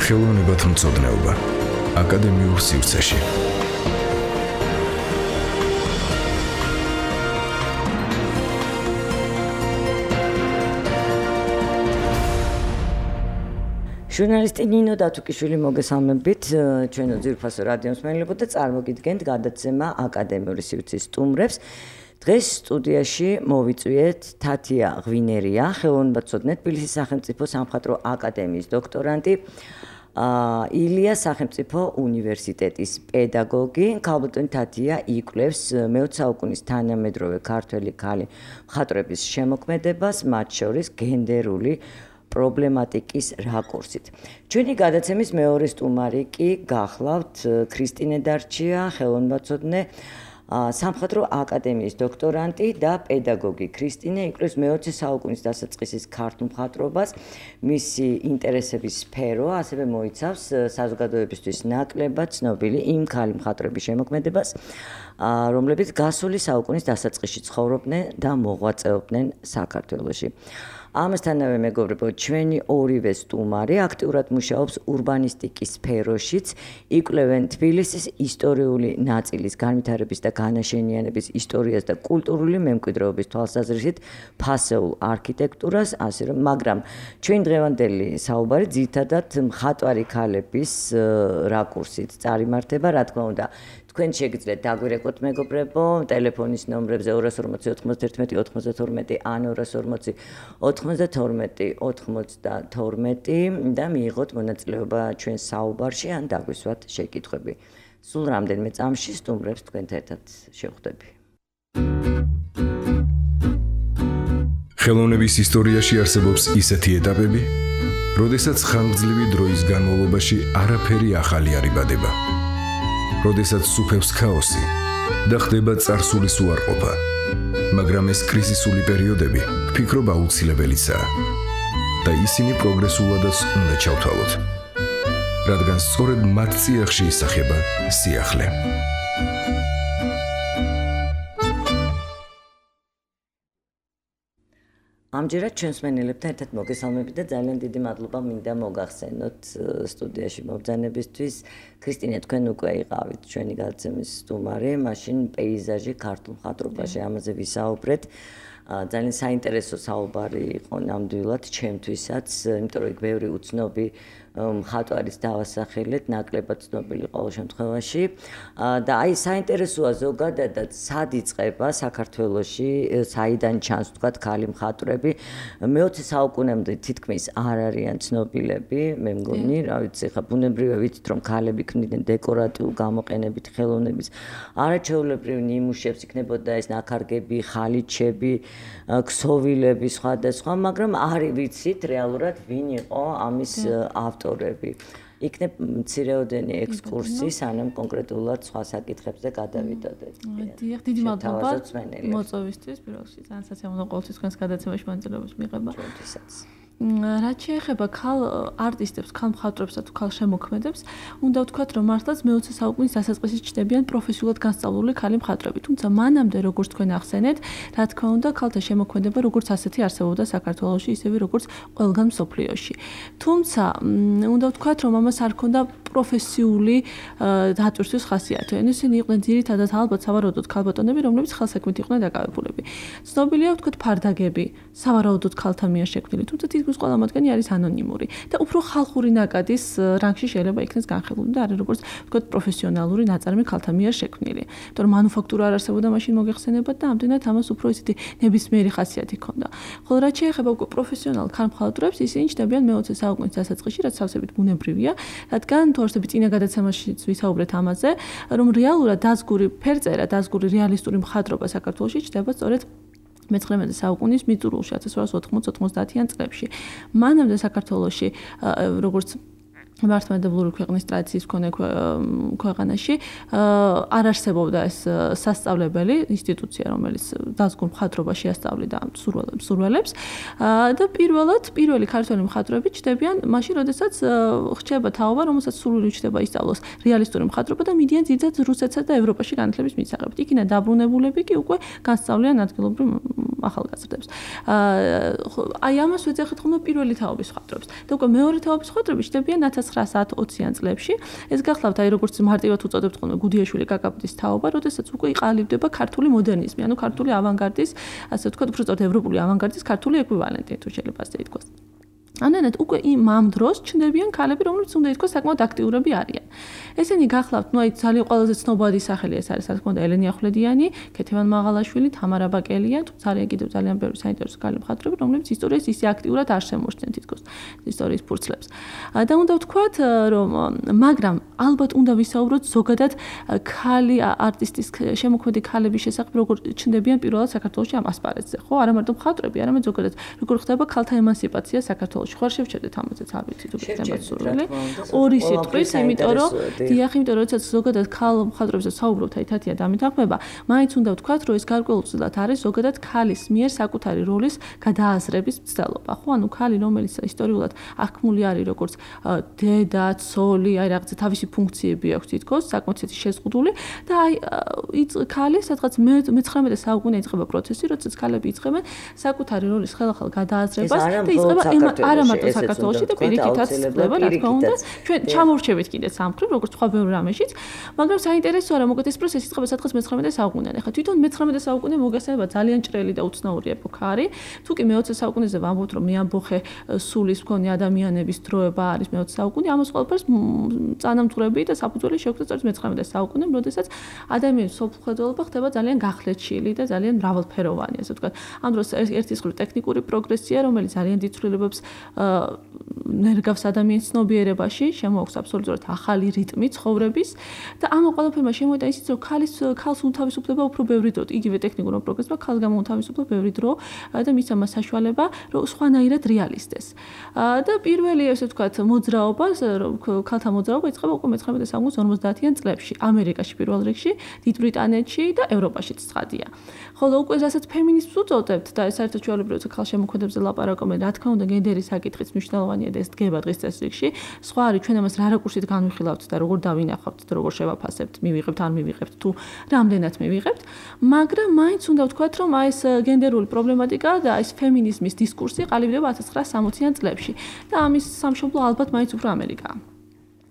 ხელოვნებათა მცოდნეობა აკადემიურ სივრცეში. ჟურნალისტი ნინო დათუკიშვილი მოგესალმებით ჩვენო ძვირფასო რადიო მსმენელებო და წარმოგიდგენთ გადაცემა აკადემიური სივრცის სტუმრებს. დღეს სტუდიაში მოვიწვიეთ თათია ღვინერია, ხელოვნებაცოდნე, თბილისის სახელმწიფო სამხატვრო აკადემიის დოქტორანტი, ილია სახელმწიფო უნივერსიტეტის პედაგოგი. ქალბატონი თათია იკვლევს მე-20 საუკუნის თანამედროვე ქართველი ქალი მხატვრების შემოქმედებას, მათ შორის გენდერული პრობლემატიკის რაკურსით. ჩვენი გადაცემის მეორე სტუმარი კი გახლავთ ქრისტინე დარჩია, ხელოვნებაცოდნე, სამხატვრო აკადემიის დოქტორანტი და პედაგოგი. ქრისტინე იკვლევს მე-20 საუკუნის დასაწყისის ქართულ მხატვრობას, მისი ინტერესების სფერო ასევე მოიცავს საზოგადოებისთვის ნაკლებად ცნობილი იმ ქალი მხატვრების შემოქმედებას, რომლებიც გასული საუკუნის დასაწყისში ცხოვრობდნენ და მოღვაწეობდნენ საქართველოში. ამასთანავე მეგობრებო, ჩვენი ორივე სტუმარი აქტიურად მუშაობს ურბანისტიკის სფეროშიც, იკვლევენ თბილისის ისტორიული ნაწილის განვითარების და განაშენიანების ისტორიას და კულტურული მემკვიდრეობის თვალსაზრისით ფასეულ არქიტექტურას, ასე რომ, მაგრამ ჩვენ დღევანდელი საუბარი ძირითადად მხატვარი ქალების რაკურსით წარიმართება, რა თქმა უნდა. თქვენ შეგიძლიათ დაგვირეკოთ მეგობრებო, ტელეფონის ნომრებზე 240 91 92 ან 240 92 92 და მიიღოთ მონაწილეობა ჩვენ საუბარში ან დაგვისვათ შეკითხვები. სულ რამდენიმე წამში სტუმრებს თქვენთან ერთად შევხვდები. ხელოვნების ისტორიაში არსებობს ისეთი ეტაპები, როდესაც ხანგრძლივი დროის განმავლობაში არაფერი ახალი არ იბადება. როდესაც სუფევს ქაოსი და ხდება წარსულის უარყოფა, მაგრამ ეს კრიზისული პერიოდები ვფიქრობ აუცილებელიცაა და ისინი პროგრესულადაც უნდა ჩავთვალოთ, რადგან სწორედ მათ წიაღში ისახება სიახლე. ამჯერად ჩვენს მსმენელებთან ერთად მოგესალმებით და ძალიან დიდი მადლობა მინდა მოგახსენოთ სტუდიაში მობრძანებისთვის. ქრისტინე, თქვენ უკვე იყავით ჩვენი გადაცემის სტუმარი, მაშინ პეიზაჟი ქართულ მხატვრობაში, ამაზე ვისაუბრეთ. ძალიან საინტერესო საუბარი იყო ნამდვილად ჩემთვისაც, იმიტომ რომ ბევრი უცნობი მხატვარის დავასახელეთ, ნაკლებად ცნობილი ყოველ შემთხვევაში. და აი საინტერესოა ზოგადადად სად იწყება საქართველოში, საიდან ჩანს თქვათ ქალი მხატვრები. მე-20 საუკუნემდე თითქმის არ არიან ცნობილები, მე მგონი, რა ვიცი, ხა ბუნებრივია ვიცით რომ ქალები ქმნიდნენ დეკორატიულ გამოყენებით ხელოვნების არაჩვეულებრივ ნიმუშებს, იქნებოდა ეს ნაქარგები, ხალიჩები, ქსოვილები, სხვადასხვა, მაგრამ არ ვიცით რეალურად ვინ იყო ამის ავტორები. იქნებ მცირეოდენი ექსკურსი, სანამ კონკრეტულად სხვა საკითხებზე გადავიდოდეთ. დიახ, დიდი მადლობა მოწვევისთვის, პირველში ძალიან საცემულო ყოველთვის თქვენს გადაცემაში მონაწილეობის მიღება. ჩვენთვისაც. რაც შეეხება ქალ არტისტებს, ქალ მხატვრებსა თუ ქალ შემოქმედებს, უნდა ვთქვათ, რომ მართლაც მე-20 საუკუნის დასაწყისში ჩნდებიან პროფესიულად განსწავლული ქალი მხატვრები. თუმცა მანამდე, როგორც თქვენ ახსენეთ, რა თქმა უნდა, ქალთა შემოქმედება როგორც ასეთი არსებობდა საქართველოში, ისევე როგორც ყველგან მსოფლიოში. თუმცა, უნდა ვთქვათ, რომ ამას არ ჰქონდა პროფესიული დატვირთვის ხასიათი. ისინი იყვნენ ძირითადად ალბათ სავარაუდოდ ქალბატონები, რომლებიც ხელსაქმით იყვნენ დაკავებულები. ცნობილია ვთქვათ ფარდაგები, სავარაუდოდ ქალთა მიერ შექმნილი, თუმცა თითქმის ყველა მათგანი არის ანონიმური და უფრო ხალხური ნაკადის რანგში შეიძლება იქნეს განხილული და არის როგორც ვთქვათ პროფესიონალური ნაწარმი ქალთა მიერ შექმნილი. იმიტომ რომ მანუფაქტურა არ არსებობდა მაშინ მოგეხსენებათ და ამდენად ამას უფრო ისეთი ნებისმიერი ხასიათი ჰქონდა. ხოლო რაც შეეხება უკვე პროფესიონალ ქალ მხატვრებს, ისინი ჩნდებიან მე-20 საუკუნის დასაწყისში, რაც სავსებით ბუნებრივია, რადგან თუ არსებობს წინა გადაცემაშიც ვისაუბრეთ ამაზე, რომ რეალურად დაზგური ფერწერა, დაზგური რეალისტური მხატვრობა საქართველოში ჩნდება სწორედ მე-19 საუკუნის მიწურულში 1890-90-იან წლებში. მანამდე საქართველოში როგორც მართლმადიდებლური ქვეყნის ტრადიციის მქონე ქვეყანაში არ არსებობდა ეს სასწავლებელი ინსტიტუცია, რომელიც დაზგურ მხატვრობას შეასწავლიდა მსურველებს და პირველი ქართველი მხატვრები ჩნდებიან მაშინ, როდესაც ხდება თაობა, რომელსაც სურვილი ჩნდება ისწავლოს რეალისტური მხატვრობა და მიდიან ძირითადად რუსეთსა და ევროპაში განათლების მისაღებად. იქიდან დაბრუნებულები კი უკვე განსწავლიან ადგილობრივ ახალგაზრდებს. აი ამას ვეძახით ხოლმე პირველი თაობის მხატვრებს. და უკვე მეორე თაობის მხატვრები ჩნდებიან 1910-20-იან წლებში. ეს გახლავთ აი როგორც მარტივად უწოდებთ ხოლმე გუდიაშვილი კაკაბდის თაობა, როდესაც უკვე იყალიბდება ქართული მოდერნიზმი, ანუ ქართული ავანგარდის, ასე ვთქვათ, უფრო სწორად ევროპული ავანგარდის ქართული ეკვივალენტი, თუ შეიძლება ასე ითქვას. ანანეთ უკვე ამ დროს ჩნდებიან ქალები, რომლებიც უნდა ითქვას საკმაოდ აქტიურები არიან. ესენი გახლავთ, ნუ აი ძალიან ყველაზე ცნობადი სახელი ეს არის, რა თქმა უნდა, ელენე ახვლედიანი, ქეთევან მაღალაშვილი, თამარა ბაკელია, თუ ძალიან ბევრი საინტერესო ქალი მხატვრები, რომლებიც ისტორიას ისე აქტიურად არ შემორჩნენ თითქოს ისტორიის ფურცლებს. და უნდა ვთქვათ, რომ მაგრამ ალბათ უნდა ვისაუბროთ ზოგადად ქალი არტისტის შემოქმედი ქალების შესახებ, როგორ ჩნდებიან პირველად საქართველოში ამ ასპარეზზე, ხო? არა მარტო მხატვრები, არამედ ზოგადად როგორ ხდება ქალთა ემანსიპაცია საქართველოში. ხარ შევჩერდეთ ამაზეც არ ვიცი თუ გეცემათ სურვილი. ორი სიტყვის, იმიტომ რომ დიახ, იმიტომ რომ როდესაც ზოგადად ქალ მხატვრებზე საუბრობთ, აი თათია დამეთანხმება, მაინც უნდა ვთქვათ, რომ ეს გარკვეულწილად არის ზოგადად ქალის მიერ საკუთარი როლის გადააზრების მცდელობა, ხო? ანუ ქალი, რომელიც ისტორიულად აღქმული არის როგორც დედა, ცოლი, აი რაღაცა თავისი ფუნქციები აქვს თითქოს, საკმაოდ შეზღუდული და აი ქალი სადღაც მე-19 საუკუნე იწყება პროცესი, როდესაც ქალები იწყებენ საკუთარი როლის ხელახალ გადააზრებას და იწყება არა მარტო საქართველოში და პირიქითაც ხდება, რა თქმა უნდა, ჩვენ ჩამორჩებით კიდე სამხრივ, როგორც სხვა ბევრ რამეშიც, მაგრამ საინტერესოა, რომ მოგეთ ეს პროცესი იწყება სადღაც მე-19 საუკუნიდან. ახლა თვითონ მე-19 საუკუნე მოგესალება ძალიან ჭრელი და უცნაური ეპოქა არის. თუ კი მე-20 საუკუნეზე ვამბობთ, რომ მეამბოხე სულის მქონე ადამიანების დროება არის მე-20 საუკუნე, ამას ყველაფერს წანამძღვრები და საფუძველი შეუქმნა სწორედ მე-19 საუკუნემ, როდესაც ადამიანის სოფლმხედველობა ხდება ძალიან გახლეჩილი და ძალიან მრავალფეროვანი, ასე ვთქვათ. ამ დროს ერთის მხრივ ტექნიკური პროგრესია, რომელიც ძალიან დიდ ცვლილებებს ნერგავს ადამიანის ცნობიერებაში, შემოაქვს აბსოლუტურად ახალი რიტმი ცხოვრების და ამ ყველაფერმა შემოიტანა ისიც, რომ ქალს უთავისუფლება უფრო ბევრი დრო, იგივე ტექნიკურმა პროგრესმა ქალს გამოუთავისუფლება ბევრი დრო და მისცა მას საშუალება, რომ სხვანაირად რეალისტეს. და პირველი, ასე ვთქვათ, მოძრაობა, ქალთა მოძრაობა იწყება უკვე მე-19 საუკუნის 50-იან წლებში, ამერიკაში პირველ რიგში, დიდ ბრიტანეთში და ევროპაშიც ცხადია. ხოლო უკვე რასაც ფემინიზმს უწოდებთ და საერთოდ ჩვეულებრივ ქალშემოქმედებზე ლაპარაკობენ, რა თქმა უნდა, გენდერის საკითხიც მნიშვნელოვანია და ეს დგება დღის წესრიგში. სხვა არის ჩვენ ამას რა რაკურსით განვიხილავთ და როგორ დავინახავთ და როგორ შევაფასებთ, მივიღებთ ან მივიღებთ თუ რამდენად მივიღებთ, მაგრამ მაინც უნდა ვთქვათ, რომ აი ეს გენდერული პრობლემატიკა და ეს ფემინიზმის დისკურსი ყალიბდება 1960-იან წლებში და ამის სამშობლო ალბათ მაინც უფრო ამერიკაა.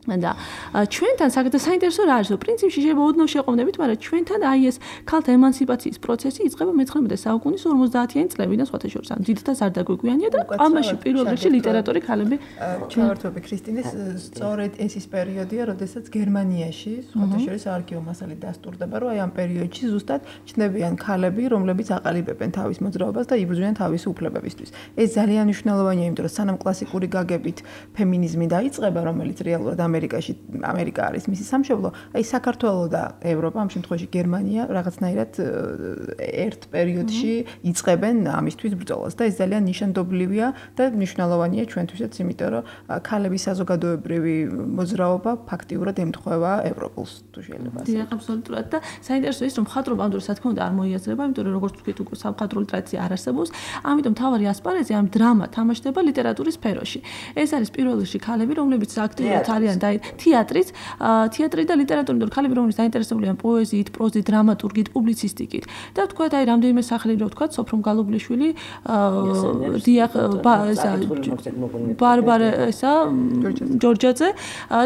და ჩვენთან საინტერესო რა არის, რომ პრინციპში შეიძლება ოდნავ შეყვნდებით, მაგრამ ჩვენთან აი ეს ქალთა ემანსიპაციის პროცესი იწყება მე-19 საუკუნის 50-იან წლებიდან სხვათა შორის. ანუ დიდ და ზარდაგვიგვიანია და ამაში პირველ რიგში ლიტერატორი ქალები. ჩავართვები ქრისტინეს, სწორედ ეს ის პერიოდია, როდესაც გერმანიაში სხვათა შორის არქივო მასალა დასტურდება, რომ აი ამ პერიოდში ზუსტად ჩნდებიან ქალები, რომლებიც აყალიბებენ თავის მოძრაობას და იბრძვიან თავისი უფლებებისთვის. ეს ძალიან მნიშვნელოვანია, იმიტომ რომ სანამ კლასიკური გაგებით ფემინიზმი დაიწყება, რომელიც რეალურად ამერიკა არის მისი სამშობლო, აი საქართველო და ევროპა, ამ შემთხვევაში გერმანია რაღაცნაირად ერთ პერიოდში იწყებენ ამისთვის ბრძოლას და ეს ძალიან ნიშანდობლივია და მნიშვნელოვანია ჩვენთვისაც, იმიტომ რომ ქალების საზოგადოებრივი მოძრაობა ფაქტიურად ემთხვევა ევროპულს, თუ შეიძლება ასე. დიახ, აბსოლუტურად და საინტერესო ის, რომ მხატვრობა ამ დროს, რა თქმა უნდა, არ მოიაზრება, იმიტომ რომ როგორც ვთქვით, უკვე სამხატვრული ტრადიცია არ არსებობს, ამიტომ თავარი ასპარეზი ამ დრამა თამაშდება ლიტერატურის სფეროში. ეს არის პირველ რიგში ქალები, რომლებიც აქტიურად არიან თეატრი და ლიტერატურა, იმიტომ რომ ქალები რომლებიც დაინტერესებულია პოეზიით, პროზით, დრამატურგიით, პუბლიცისტიკით. და ვთქვათ, აი რამდენიმე სახელი რო ვთქვათ, სოფრონ გალობლიშვილი, დიახ, ბარბარა ესა, ჯორჯაძე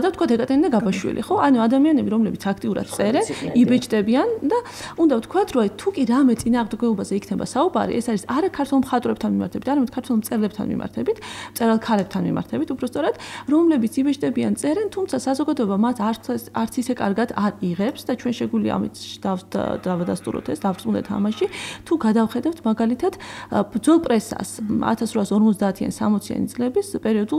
და ვთქვათ, ეკატერინე გაბაშვილი, ხო? ანუ ადამიანები, რომლებიც აქტიურად წერენ, იბეჭდებიან და უნდა ვთქვათ, რომ თუ კი რამე წინააღმდეგობაზე იქნება საუბარი, ეს არის არა ქართულ მხატვრებთან მიმართებით, არამედ ქართულ მწერლებთან მიმართებით, მწერალ ქალებთან მიმართებით, უბრალოდ, რომლებიც იბეჭდებიან, წერენ, თუმცა საზოგადოება მათ არც ისე კარგად არ იღებს და ჩვენ შეგვიძლია ამით დავადასტუროთ ეს, დავწუნდეთ ამაში, თუ გადავხედებთ მაგალითად ბრძოლ პრესას 1850-იან 60-იანი წლების პერიოდულ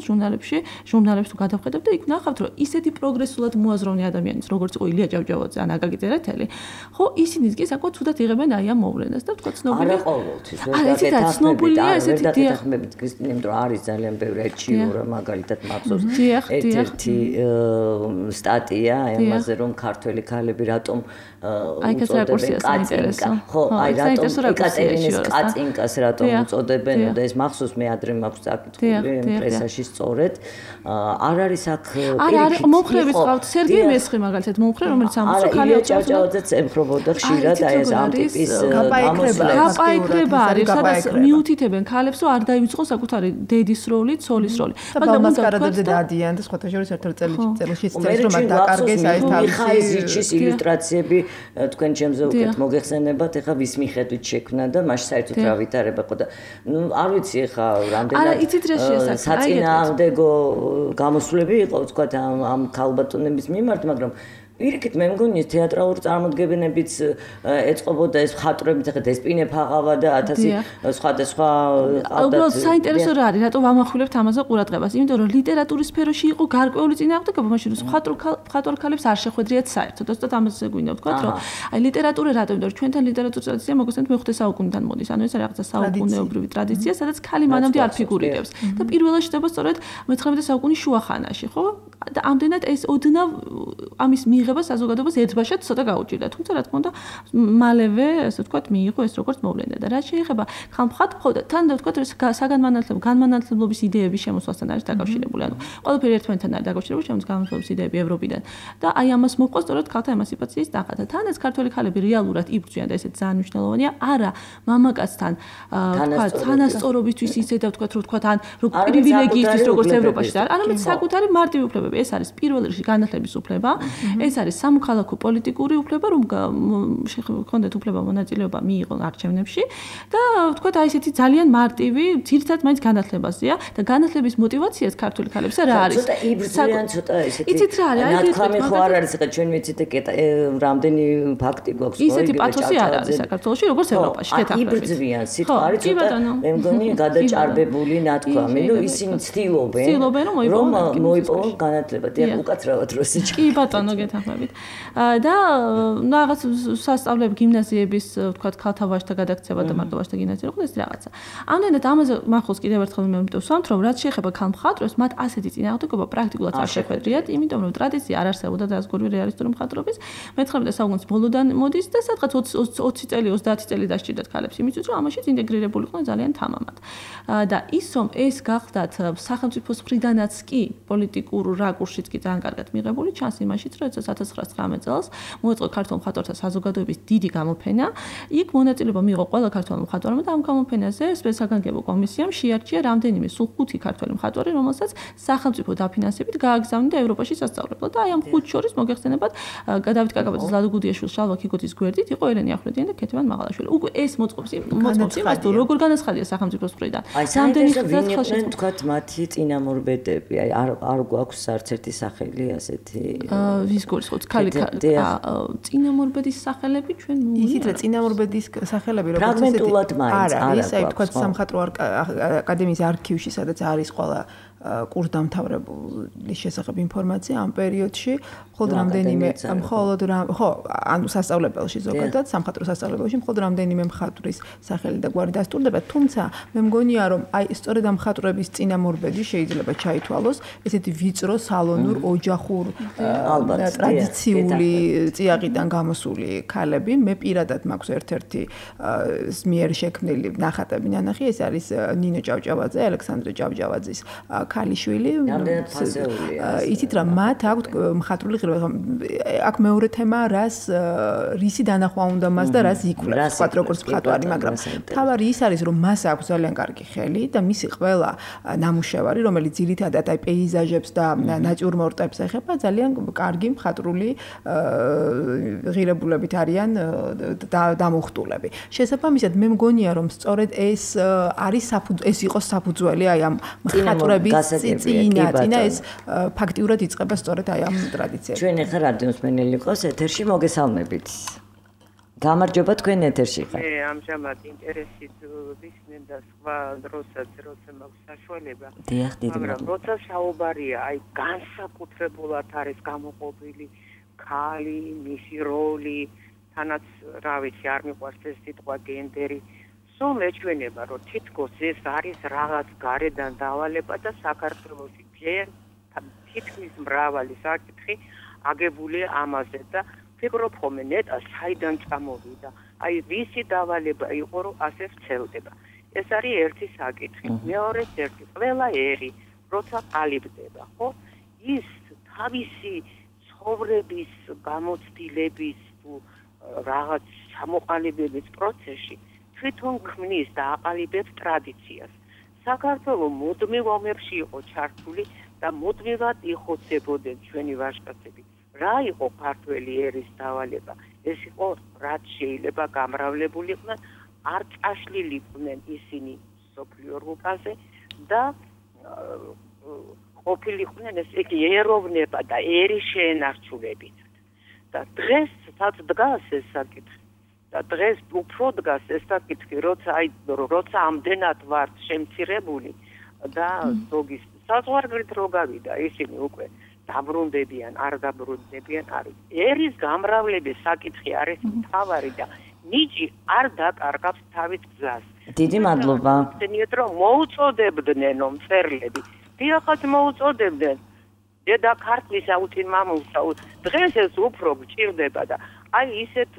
ჟურნალებს თუ გადავხედებთ და იქ ნახავთ, რომ ისეთი პროგრესულად მოაზროვნე ადამიანის, როგორც იყო ილია ჭავჭავაძე ან აკაკი წერეთელი, ხო, ისინიც კი საკმაოდ ცუდად იღებენ აი ამ მოვლენას და ვთქვათ, ცნობილია. არა ყოველთვის, ცნობილია ესეთი დიახმებით ქრისტინე, იმიტომ რომ არის ძალიან ბევრი აჩიურა მაგალითად მახსოვს. ერთ-ერთი სტატია ამაზე რომ ქართველი ქალები რატომ უწოდებენ კაცინკა ხო აი რატომ ეკატერინეს კაცინკას რატომ უწოდებენ და ეს მახსოვს მე ადრე მაქვს წაკითხული პრესაში სწორედ არ არის აქ არა მომხრეების ყავთ სერგეი მესხი მაგალითად მომხრე რომელიც ამბობს რომ ქალი ჭავჭავაძე წემხრობოდა ხშირად აი ეს ამ ტიპის გაპაიკრება არის სადაც მიუთითებენ ქალებს რომ არ დაივიწყოს საკუთარი დედის როლი, ცოლის როლი. მაგრამ მასკარადებზე დადიან და სხვათა შორის ერთ-ერთ წელში წერს რომ დაკარგეს აი ეს თავისი ილუსტრაციები თქვენ ჩემზე უკეთ მოგეხსენებათ ეხა ვის მიხედვით შექმნა და მაშინ საერთოდ რა ვითარება ყო და ნუ არ ვიცი ეხა რამდენად საწინააღმდეგო გამოსვლები იყო თქვა ამ ქალბატონების მიმართ მაგრამ პირიქით მე მგონი თეატრალურ წარმოდგენებიც ეწყობოდა ეს მხატვრებით ახლა დესპინე ფაღავა და 1000 სხვადასხვა უბრალოდ საინტერესო რა არის რატომ ვამახვილებთ ამაზე ყურადღებას იმიტომ რომ ლიტერატურის სფეროში იყო გარკვეული წინააღმდეგობა მაშინ მხატვარ ქალებს არ შეხვედრიათ საერთოდ ზუსტად ამაზე გვინდა ვთქვა რომ აი ლიტერატურა რატომ იმიტომ რომ ჩვენთან ლიტერატურის ტრადიცია მოგესმენთ მე-5 საუკუნიდან მოდის ანუ ეს რაღაცა საუკუნეობრივი ტრადიცია სადაც ქალი მანამდე არ ფიგურირებს და პირველად შედება სწორედ მე-19 საუკუნის შუახანაში ხო და ამდენად ეს ოდნავ ამის მიღება საზოგადოებას ერთბაშად ცოტა გაუჭირდა. თუმცა რა თქმა უნდა, მალევე, ასე ვთქვათ, მიიღო ეს როგორც მოვლენა და რაც შეეხება ხალხად, ხო და თან და ვთქვათ, განმანათლებლობის იდეების შემოსვლასთან არის დაკავშირებული. ანუ ყველაფერი ერთმანეთთან არის დაკავშირებული, შემოს განმანათლებლობის იდეები ევროპიდან. და აი ამას მოყვა სწორედ ქალთა ემანციპაციის ნახატ. თან ეს ქართველი ქალები რეალურად იბრძვიან და ესეც ძალიან მნიშვნელოვანია. არა, მამაკაცთან ვთქვათ, თანასწორობისთვის ისე და ვთქვათ, რომ ვთქვათ, ან პრივილეგიისთვის როგორც ევროპაში და არამედ საკუთარი მარტივი უფლებები. ეს არის პირველ რიგში განათლების უფლება. ეს არის სამოქალაქო პოლიტიკური უფლება, რომ გქონდეთ უფლება მონაწილეობა მიიღონ არჩევნებში და ვთქვათ, აი ესეთი ძალიან მარტივი, ძირითადად მაინც განათლებაზეა და განათლების мотиваციაც ქართული ქალებისა რა არის? ცოტა იბრძვიან, ცოტა ესეთი. იცით რა არის? ნათქვამი ხო არ არის, ხა ჩვენ ვიცით რამდენი ფაქტი გვაქვს, ხო? ისეთი პათოსი არ არის საქართველოში, როგორც ევროპაში, შეთანხმებით. იბრძვიან, სიტყვარი ცოტა მე მგონი გადაჭარბებული ნათქვამი, რომ ისინი ცდილობენ რომ მოიპოვონ განათლება. დიახ, უკაცრავად როსიჩი. კი ბატონო, გეთანხმებით. და რაღაც სასწავლებლები გიმნაზიების, ვთქვათ, ქალთა ვაჟთა გადაქცევა და მარტო ვაჟთა გიმნაზია იყო ეს რაღაცა. ამდენად ამაზე მახოს კიდევ ერთხელ მე ვსვამთ, რომ რაც შეეხება ქალმხატვრებს, მათ ასეთი წინააღმდეგობა პრაქტიკულად არ შეხვედრიათ, იმიტომ რომ ტრადიცია არ არსებობდა დაზგური რეალისტური მხატვრობის. მე-19 საუკუნის ბოლოდან მოდის და სადღაც 20 წელი, 30 წელი დასჭირდათ ქალებს იმისთვის, რომ ამაშიც ინტეგრირებულიყვნენ ძალიან თამამად. და ის რომ ეს გახდათ სახელმწიფოს მხრიდანაც კი პოლიტიკურ რაკურსშიც კი ძალიან კარგად მიღებული, ჩანს იმაშიც, რომ 1919 წელს მოეწყო ქართულ მხატვართა საზოგადოების დიდი გამოფენა. იქ მონაწილეობა მიიღო ყველა ქართველი მხატვარმა და ამ გამოფენაზე საგანგებო კომისიამ შეარჩია რამდენიმე სულ 5 ქართველი მხატვარი, რომელსაც სახელმწიფო დაფინანსებით გააგზავნიდა ევროპაში სასწავლებლად. და აი ამ 5 შორის მოგეხსენებათ დავით კაკაბაძის, ლადო გუდიაშვილის, შალვა ქიქოძის გვერდით იყო ელენე ახვლედიანი და ქეთევან მაღალაშვილი. უკვე ეს მოწყობს იმას, თუ როგორ განაცხადია სახელმწიფოს მხრიდან. რამდენი ხალხი თქვათ მათი წინამორბედები, აი არ გვაქვს არც ერთი სახელი ასეთი. ვის გულისხმობთ ქალი წინამორბედის სახელები ჩვენ ისიც რა წინამორბედის სახელები როგორც ფრაგმენტულად მაინც არის აი თქვათ სამხატვრო აკადემიის არქივში სადაც არის ყველა კურსდამთავრებულის შესახებ ინფორმაცია ამ პერიოდში მხოლოდ რამდენიმე ანუ სასწავლებელში ზოგადად სამხატვრო სასწავლებელში მხოლოდ რამდენიმე მხატვრის სახელი და გვარი დასტურდება თუმცა მე მგონია რომ აი სწორედ ამ მხატვრების წინამორბედი შეიძლება ჩაითვალოს ესეთი ვიწრო სალონურ ოჯახურ ტრადიციული წიაღიდან გამოსული ქალები მე პირადად მაქვს ერთ-ერთი მიერ შექმნილი ნახატები ნანახი ეს არის ნინო ჭავჭავაძე ალექსანდრე ჭავჭავაძის ქალიშვილი იცით რა მათ აქვთ მხატვრული ღირებულება აქ მეორე თემა რისი დანახვა უნდა მას და რას იკვლევს თქვა როგორც მხატვარი მაგრამ თავარი ის არის რომ მას აქვს ძალიან კარგი ხელი და მისი ყველა ნამუშევარი რომელიც ძირითადად აი პეიზაჟებს და ნატიურმორტებს ეხება ძალიან კარგი მხატვრული ღირებულებით არიან დამუხტულები შესაბამისად მე მგონია რომ სწორედ ეს არის ეს იყოს საფუძველი აი ამ მხატვრების წინა ეს ფაქტიურად იწყება სწორედ აი ამ ტრადიციებში. ჩვენ ახლა რადიოს მენელი ყავს ეთერში მოგესალმებით. გამარჯობა თქვენ ეთერში ხართ. ამჟამად ინტერესით ვისმენ და სხვა დროსაც როცა მაქვს საშუალება. მაგრამ როცა საუბარია აი განსაკუთრებულად არის გამოყოფილი ქალი, მისი როლი, თანაც რა ვიცი არ მიყვარს ეს სიტყვა გენდერი. სულ ეჩვენება რომ თითქოს ეს არის რაღაც გარედან დავალება და საქართველოში თითქმის მრავალი საკითხი აგებულია ამაზე და ფიქრობ ხოლმე ნეტა საიდან წამოვიდა. აი ვისი დავალება იყო რომ ასე ვცელდება. ეს არის ერთი საკითხი. მეორე ერთი ყველა ერი როცა ყალიბდება, ხო? ის თავისი ცხოვრების გამოცდილების თუ რაღაც ჩამოყალიბების პროცესში თვითონ ქმნის და აყალიბებს ტრადიციას. საქართველოს მუდმივ ომებში იყო ჩართული და მუდმივად იხოცებოდნენ ჩვენი ვაჟკაცები. რა იყო ქართველი ერის დავალება? ეს იყო რაც შეიძლება გამრავლებულიყვნენ, არ წაშლილიყვნენ ისინი სოფლიო რუკაზე და ყოფილიყვნენ ესე იგი ეროვნება და ერის შეენარჩუნებით. და დღეს სადაც დგას ეს საკითხი და დღეს უფრო დგას ეს საკითხი, როცა ამდენად ვართ შემცირებული და ზოგის საზღვარგარეთ რო გავიდა ისინი უკვე დაბრუნდებიან, არ დაბრუნდებიან არის. ერის გამრავლების საკითხი არის მთავარი და ნიჭი არ დაკარგავს თავის გზას. დიდი მადლობა. ხსენიეთ რომ მოუწოდებდნენ მწერლები. დიახაც მოუწოდებდნენ. დედა ქართლის აუცილ მამულსა დღეს ეს უფრო გჭირდება და აი ისეთ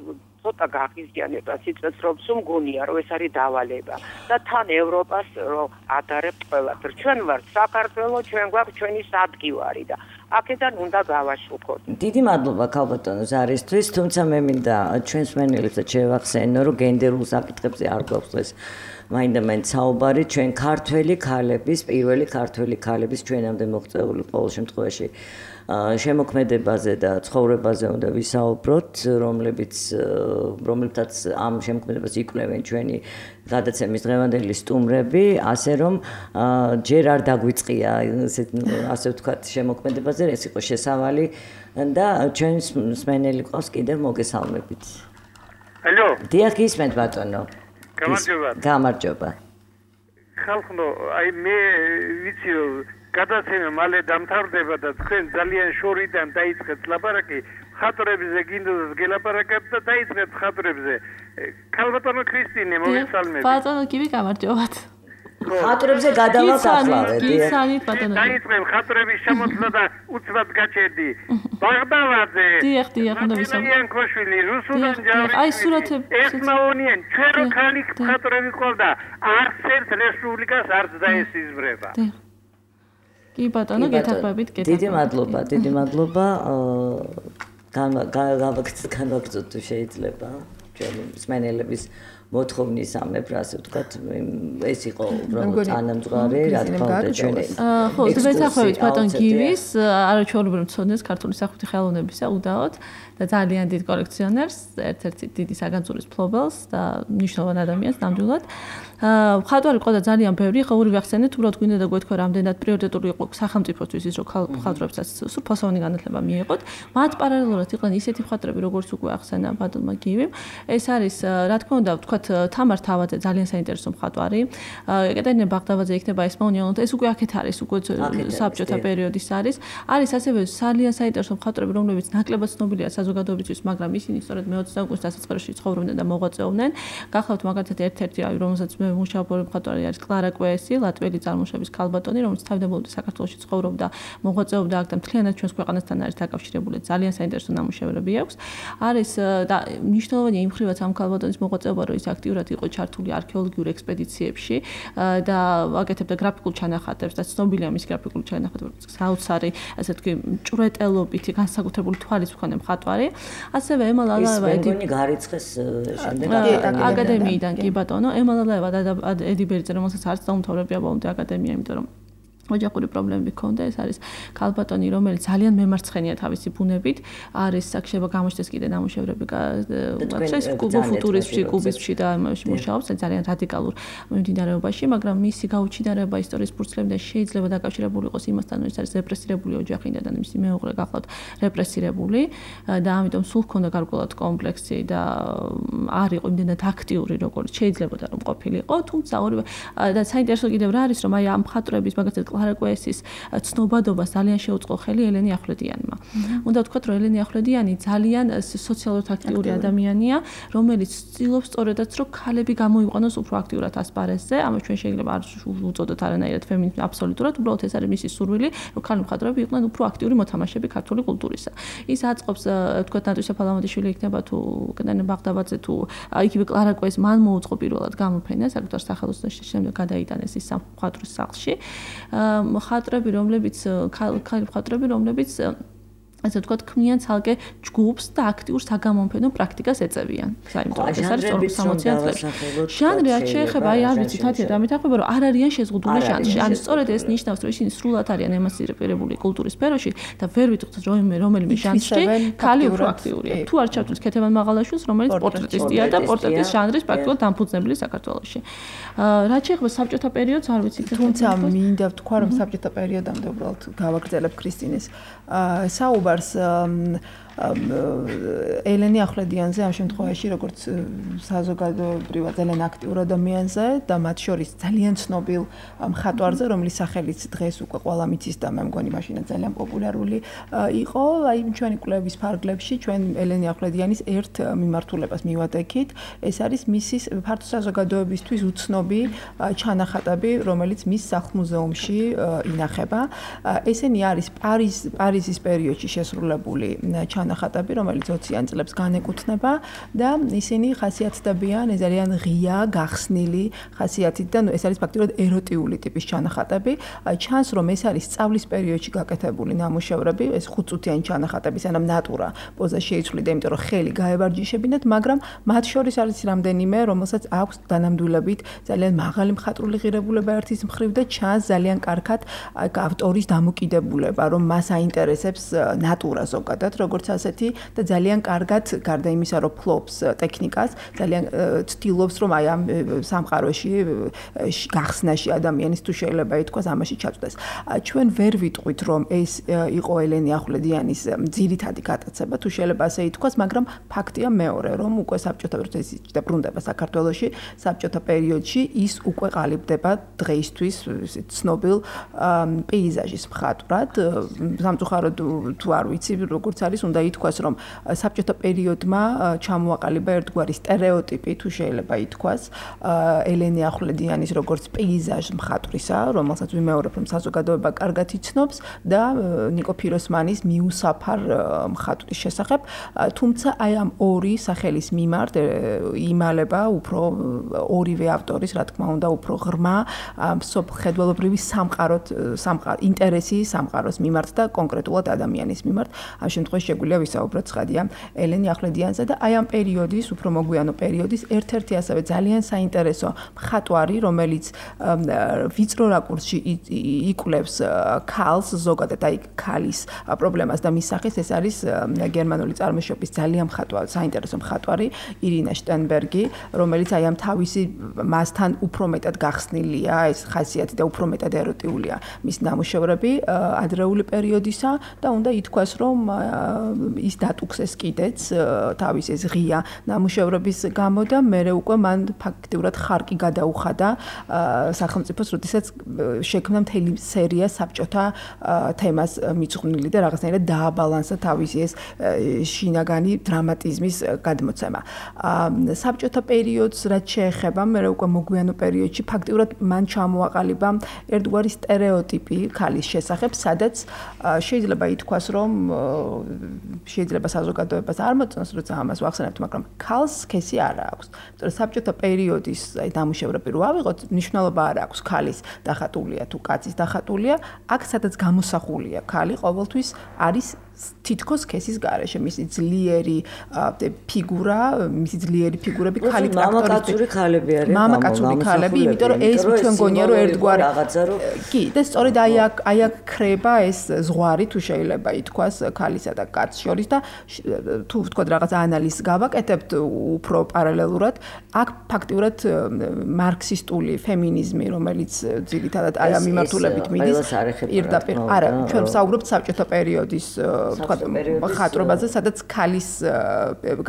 ცოტა გაღიზიანება სიცოცხლებს მგონია რომ ეს არის დავალება და თან ევროპას რომ ადარებთ ყველაფერს. ჩვენ ვართ საქართველოს, ჩვენ გვაქვს ჩვენი სადგივარი და აქედან უნდა გავაშუქოთ. დიდი მადლობა ქალბატონო ზარისთვის, თუმცა მე მინდა ჩვენს მენელებსაც შევახსენო, რომ გენდერულ საკითხებზე არ გვაქვს დღეს მაინდა-მაინც საუბარი, ჩვენ ქართველი ქალების, პირველი ქართველი ქალების ჩვენამდე მოღწეული ყოველ შემთხვევაში შემოქმედებაზე და ცხოვრებაზე უნდა ვისაუბროთ, რომლებიც ამ შემოქმედებას იკვლევენ ჩვენი გადაცემის დღევანდელი სტუმრები, ასე რომ ჯერ არ დაგვიწყია ასე ვთქვათ შემოქმედებაზე, ეს იყო შესავალი და ჩვენს მსმენელი ყავს კიდევ მოგესალმებით. ალო. დიახ, გისმენთ ბატონო. გამარჯობა. ხალხო, აი მე ვიცი გადაცემა მალე დამთავრდება და თქვენ ძალიან შორიდან დაიწყეთ ლაპარაკი ხატრებზე, გინდოს გელაპარაკებთ და დაიწყეთ ხატრებზე. ქალბატონო ქრისტინე, მოგესალმებით. ბატონო, კიდე გამარჯობათ. ხატრებზე გადავალთ ახლავე. გისანით ბატონო. დაიწყებ ხატრების შემოწმება და უცბად გაჩერდი. ბაღდავაძე. დიახ, უნდა ვისაუბროთ. ძალიან ქოშვილი, რუსუდან ჯავრი. აი სურათები. ესმაონიან, ჩვენ რო ხალი ხატრები ყოლდა, არცერთ რესპუბლიკას არც დაესიზმრება. კი ბატონო, გეთახმებით, დიდი მადლობა. განვაგრძოთ თუ შეიძლება ჩვენი მსმენელების მოთხოვნის ამებრ, ასე ვთქვათ, ეს იყო უბრალოდ თანამძღვარი, რა თქმა უნდა, ჩვენი. ხო, დაბესახვევით ბატონ გივის, არაჩვეულებრივ მცოდნეს ქართული სახვითი ხელოვნებისა უდაოდ და ძალიან დიდ კოლექციონერს, ერთ-ერთი დიდი საგანძურის ფლობელს და მნიშვნელოვან ადამიანს ნამდვილად. ხატვარი ყო და ძალიან ბევრი, ხო ორივე ახსენეთ, უბრალოდ გვინდა და გვეთქვა რამდენად პრიორიტეტული იყო სახელმწიფოსთვის ის, რომ ხატრებსაც სრულფასოვანი განათლება მიიღოთ. მათ პარალელურად იყვნენ ისეთი ხატრები, როგორც უკვე ახსენა ბატონმა გივიმ. ეს არის, რა თქმა უნდა, ვთქვათ, თამარ თავაძე ძალიან საინტერესო მხატვარი. ეკატერინე ბაღდავაძე იქნება ესმაონიანო, ეს უკვე აქეთ არის, უკვე საბჭოთა პერიოდის არის. არის ასევე ძალიან საინტერესო მხატვრები, რომლებიც ნაკლებად ცნობილია საზოგადოებისთვის, მაგრამ ისინი სწორედ მე-20 საუკუნის დასაწყისში ცხოვრობდნენ და მოღვაწეობდნენ. გახლავთ მაგალითად ერთ-ერთი, რომელსაც მე მუშაობ მხატვარი არის კლარა კვესი, ლატვიელი წარმოშობის ქალბატონი, რომელიც თავდაპირველად საქართველოში ცხოვრობდა, მოღვაწეობდა აქ და მთლიანად ჩვენს ქვეყანასთან არის დაკავშირებული. ძალიან საინტერესო ნამუშევრები აქვს. არის და მნიშვნელოვანია იმ მხრივაც ამ ქალბატონის მოღვაწეობა, რომ ის აქტიურად იყო ჩართული არქეოლოგიურ ექსპედიციებში და აკეთებდა გრაფიკულ ჩანახატებს და ცნობილია მის გრაფიკული ჩანახატები, საოცარი, ასე თქვი, ჭვრეტელობითი, განსაკუთრებული თვალის მქონე მხატვარი. ასევე ემალალაევა ედი გარიცხეს შემდეგ აკადემიიდან კი ბატონო, ემალალაევა და ედი ბერიძე, რომელსაც არც დაუმთავრებია ბოლომდე აკადემია, იმიტომ რომ ოჯახური პრობლემები ჰქონდა. ეს არის ქალბატონი, რომელიც ძალიან მემარცხენია თავისი ბუნებით. არის აქ გამოჩნდეს კიდე ნამუშევრები ეს კუბოფუტურიზმში, კუბიზმში და ამაში მუშაობს ძალიან რადიკალურ მიმდინარეობაში, მაგრამ მისი გაუჩინარება ისტორიის ფურცლებიდან შეიძლება დაკავშირებული იყოს იმასთან, რომ ის არის რეპრესირებული ოჯახიდან და მისი მეუღლე გახლავთ რეპრესირებული და ამიტომ სულ ჰქონდა გარკვეულად კომპლექსი და არ იყო იმდენად აქტიური, როგორც შეიძლებოდა რომ ყოფილიყო, თუმცა ორივე და საინტერესო კიდევ რა არის, რომ აი ამ მხატვრების მაგალითად კლარა კვესის ცნობადობას ძალიან შეუწყო ხელი ელენე ახვლედიანმა. უნდა ვთქვათ, რომ ელენე ახვლედიანი ძალიან სოციალურად აქტიური ადამიანია, რომელიც ცდილობს სწორედაც, რომ ქალები გამოიყვანოს უფრო აქტიურად ასპარეზზე. ამას ჩვენ შეიძლება არ უწოდოთ არანაირად ფემინიზმი აბსოლუტურად, უბრალოდ ეს არის მისი სურვილი, რომ ქალი მხატვრები იყვნენ უფრო აქტიური მოთამაშეები ქართული კულტურისა. ის აწყობს, ვთქვათ, ნატვისა ფალამოთიშვილი იქნება თუ კენე ბაღდაბაძე თუ იგივე კლარა კვეს მან მოუწყო პირველად გამოფენა საკუთარ სახელოსნოში, შემდეგ გადაიტანეს ის მხატვრის სახლში. მხატვრები, რომლებიც ქალი მხატვრები, რომლებიც ასე ვთქვათ, ქმნიან ცალკე ჯგუფს და აქტიურ საგამომფენო პრაქტიკას ეწევიან. საერთოდ ეს არის 60-60-იან წლებში. ჟანრი არ შეეხება, არ ვიცი, თათია და მეთახმება, რომ არ არიან შეზღუდული ჟანრში. ანუ სწორედ ეს ნიშნავს, რომ ისინი სრულად არიან ემანციპირებული კულტურის სფეროში და ვერ ვიტყვით, რომ რომელიმე ჟანრში ქალი უფრო აქტიურია. თუ არ ჩავთვლით ქეთევან მაღალაშვილს, რომელიც პორტრეტისტია და პორტრეტის ჟანრის პრაქტიკულად დამფუძნებელი საქართველოში. რაც შეეხება საბჭოთა პერიოდს, არ ვიცი, თუმცა მინდა ვთქვა, რომ საბჭოთა პერიოდამდე უბრალოდ გავაგრძელებ ქრისტინეს საუბარს ელენე ახვლედიანზე ამ შემთხვევაში როგორც საზოგადოებრივად ძალიან აქტიურ ადამიანზე და მათ შორის ძალიან ცნობილ მხატვარზე, რომლის სახელიც დღეს უკვე ყველა მიცის და მე მგონი მაშინაც ძალიან პოპულარული იყო. აი ჩვენი კვლევის ფარგლებში ჩვენ ელენე ახვლედიანის ერთ მიმართულებას მივატეკით. ეს არის მისის ფართო საზოგადოებისთვის უცნობი ჩანახატები, რომელიც მის სახლ-მუზეუმში ინახება. ესენი არის პარიზის პერიოდში შესრულებული ჩანახატები, რომელიც 20-იან წლებს განეკუთვნება და ისინი ხასიათდებიან ძალიან ღია, გახსნილი ხასიათით და ეს არის ფაქტიურად ეროტიული ტიპის ჩანახატები. ჩანს, რომ ეს არის სწავლის პერიოდში გაკეთებული ნამუშევრები, ეს 5-წუთიანი ჩანახატები, სანამ ნატურა პოზა შეიცვლიდა, იმიტომ რომ ხელი გაევარჯიშებინათ, მაგრამ მათ შორის არის რამდენიმე, რომელსაც აქვს დანამდვილებით ძალიან მაღალი მხატვრული ღირებულება ერთის მხრივ და ჩანს ძალიან კარგად ავტორის დამოკიდებულება, რომ მას აინტერესებს ნატურა ზოგადად, როგორც ასეთი და ძალიან კარგად გარდა იმისა, რომ ფლობს ტექნიკას, ძალიან ცდილობს, რომ აი ამ სამყაროში გახსნაში ადამიანის თუ შეიძლება ითქვას, ამაში ჩაწვდეს. ჩვენ ვერ ვიტყვით, რომ ეს იყო ელენე ახვლედიანის ძირითადი გატაცება, თუ შეიძლება ასე ითქვას, მაგრამ ფაქტია მეორე, რომ უკვე საბჭოთა პერიოდში და ბრუნდება საქართველოში, საბჭოთა პერიოდში ის უკვე ყალიბდება დღეისთვის ცნობილ პეიზაჟის მხატვრად. სამწუხაროდ თუ არ ვიცი, როგორც არის, უნდა ითქვას, რომ საბჭოთა პერიოდმა ჩამოაყალიბა ერთგვარი სტერეოტიპი, თუ შეიძლება ითქვას, ელენე ახვლედიანის როგორც პეიზაჟ მხატვრისა, რომელსაც ვიმეორებ, რომ საზოგადოება კარგად იცნობს და ნიკო ფიროსმანის მიუსაფარ მხატვრის შესახებ, თუმცა აი ამ ორი სახელის მიმართ იმალება უფრო ორივე ავტორის, რა თქმა უნდა, უფრო ღრმა ხედველობრივი ინტერესი სამყაროს მიმართ და კონკრეტულად ადამიანის მიმართ. ამ შემთხვევაში შეგვიძლია ვისაუბროთ ცხადია ელენე ახვლედიანზე და აი ამ პერიოდის, უფრო მოგვიანო პერიოდის ერთ-ერთი ასევე ძალიან საინტერესო მხატვარი, რომელიც ვიწრო რაკურსში იკვლევს ქალს, ზოგადად აი ქალის პრობლემას და მის სახეს, ეს არის გერმანული წარმოშობის ძალიან საინტერესო მხატვარი ირინა შტენბერგი, რომელიც აი ამ თავისი მასთან უფრო მეტად გახსნილია, ეს ხასიათი და უფრო მეტად ეროტიულია მის ნამუშევრები ადრეული პერიოდისა და უნდა ითქვას, რომ ის დატუქსეს კიდეც თავის ეს ღია ნამუშევრების გამო და მერე უკვე მან ფაქტიურად ხარკი გადაუხადა სახელმწიფოს, როდესაც შექმნა მთელი სერია საბჭოთა თემას მიძღვნილი და რაღაცნაირად დააბალანსა თავისი ეს შინაგანი დრამატიზმის გადმოცემა. საბჭოთა პერიოდს რაც შეეხება, მერე უკვე მოგვიანო პერიოდში ფაქტიურად მან ჩამოაყალიბა ერთგვარი სტერეოტიპი ქალის შესახებ, სადაც შეიძლება ითქვას, რომ შეიძლება საზოგადოებას არ მოწონს, როცა ამას ვახსენებთ, მაგრამ ქალს სქესი არ აქვს. თორე საბჭოთა პერიოდის ნამუშევრები რო ავიღოთ, მნიშვნელობა არ აქვს ქალის დახატულია თუ კაცის დახატულია, აქ სადაც გამოსახულია ქალი ყოველთვის არის თითქოს სქესის გარეშე, მისი ძლიერი ფიგურები ქალი მამაკაცური ქალები არიან. მამაკაცური ქალები, იმიტომ რომ ეს ჩვენ გონია რომ ერთგვარი კი, და სწორედ აი აქ ხრება ეს ზღვარი, თუ შეიძლება ითქვას, ქალისა და კაცის შორის და თუ ვთქვათ რაღაც ანალიზს გავაკეთებთ უფრო პარალელურად, აქ ფაქტიურად მარქსისტული ფემინიზმი, რომელიც ძირითადად აი ამ მიმართულებით მიდის, პირდაპირ არა, ჩვენ ვსაუბრობთ საბჭოთა პერიოდის თქვა მხატვრობაზე, სადაც ქალის